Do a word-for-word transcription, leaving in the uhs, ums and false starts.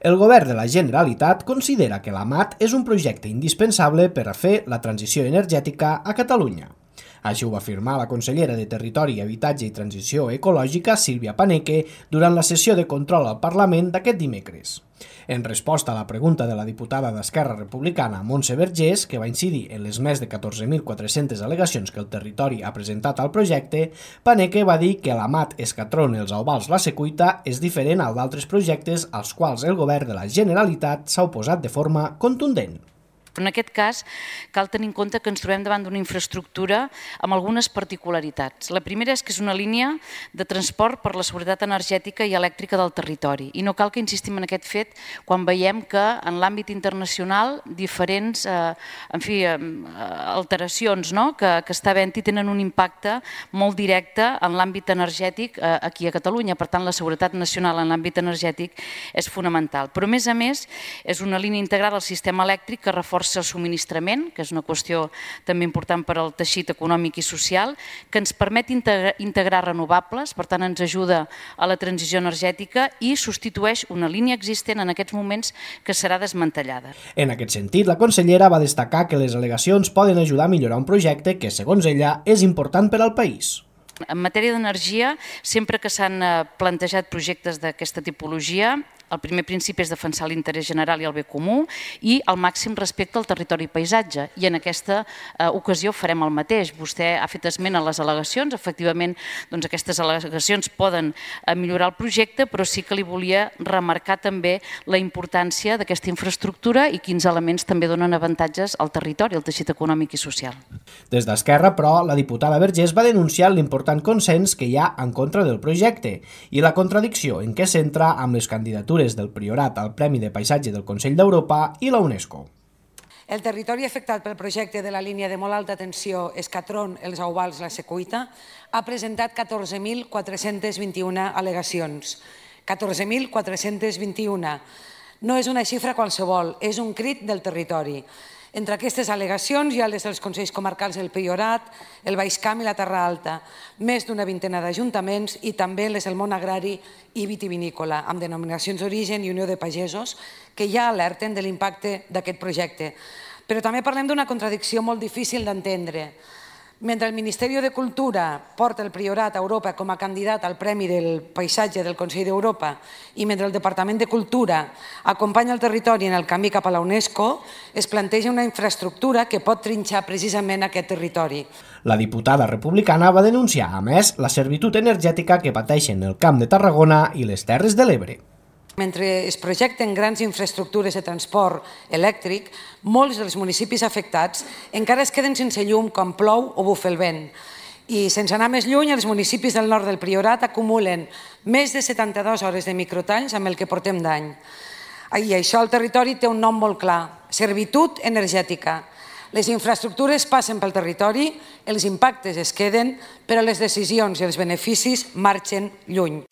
El govern de la Generalitat considera que l'A M A T és un projecte indispensable per a fer la transició energètica a Catalunya. Així ho va afirmar la consellera de Territori, Habitatge i Transició Ecològica, Sílvia Paneque, durant la sessió de control al Parlament d'aquest dimecres. En resposta a la pregunta de la diputada d'Esquerra Republicana, Montse Vergés, que va incidir en les més de catorze mil quatre-centes al·legacions que el territori ha presentat al projecte, Paneque va dir que l'A M A T Escatron Els Auvals La Secuita és diferent al d'altres projectes als quals el govern de la Generalitat s'ha oposat de forma contundent. Però en aquest cas cal tenir en compte que ens trobem davant d'una infraestructura amb algunes particularitats. La primera és que és una línia de transport per la seguretat energètica i elèctrica del territori. I no cal que insistim en aquest fet quan veiem que en l'àmbit internacional diferents eh, en fi, eh, alteracions no? que, que està havent-hi tenen un impacte molt directe en l'àmbit energètic eh, aquí a Catalunya. Per tant, la seguretat nacional en l'àmbit energètic és fonamental. Però, a més a més, és una línia integrada al sistema elèctric que reforça el subministrament, que és una qüestió també important per al teixit econòmic i social, que ens permet integrar, integrar renovables, per tant ens ajuda a la transició energètica i substitueix una línia existent en aquests moments que serà desmantellada. En aquest sentit, la consellera va destacar que les al·legacions poden ajudar a millorar un projecte que, segons ella, és important per al país. En matèria d'energia, sempre que s'han plantejat projectes d'aquesta tipologia, el primer principi és defensar l'interès general i el bé comú i el màxim respecte al territori i paisatge. I en aquesta eh, ocasió farem el mateix. Vostè ha fet esment a les al·legacions. Efectivament, doncs aquestes al·legacions poden eh, millorar el projecte, però sí que li volia remarcar també la importància d'aquesta infraestructura i quins elements també donen avantatges al territori, al teixit econòmic i social. Des d'Esquerra, però, la diputada Vergés va denunciar l'important consens que hi ha en contra del projecte i la contradicció en què s'entra amb les candidatures del Priorat al Premi de Paisatge del Consell d'Europa i la UNESCO. El territori afectat pel projecte de la línia de molt alta tensió Escatron Els Auvals La Secuita ha presentat catorze mil quatre-cents vint-i-una al·legacions. catorze mil quatre-cents vint-i-una. No és una xifra qualsevol, és un crit del territori. Entre aquestes al·legacions hi ha les dels Consells Comarcals del Priorat, el Baix Camp i la Terra Alta, més d'una vintena d'ajuntaments i també les del món agrari i vitivinícola, amb denominacions d'origen i Unió de Pagesos, que ja alerten de l'impacte d'aquest projecte. Però també parlem d'una contradicció molt difícil d'entendre. Mentre el Ministeri de Cultura porta el Priorat a Europa com a candidat al Premi del Paisatge del Consell d'Europa i mentre el Departament de Cultura acompanya el territori en el camí cap a la UNESCO, es planteja una infraestructura que pot trinxar precisament aquest territori. La diputada republicana va denunciar, a més, la servitud energètica que pateixen el Camp de Tarragona i les Terres de l'Ebre. Mentre es projecten grans infraestructures de transport elèctric, molts dels municipis afectats encara es queden sense llum quan plou o bufa el vent. I sense anar més lluny, els municipis del nord del Priorat acumulen més de setanta-dues hores de microtalls amb el que portem d'any. I això al territori té un nom molt clar, servitud energètica. Les infraestructures passen pel territori, els impactes es queden, però les decisions i els beneficis marxen lluny.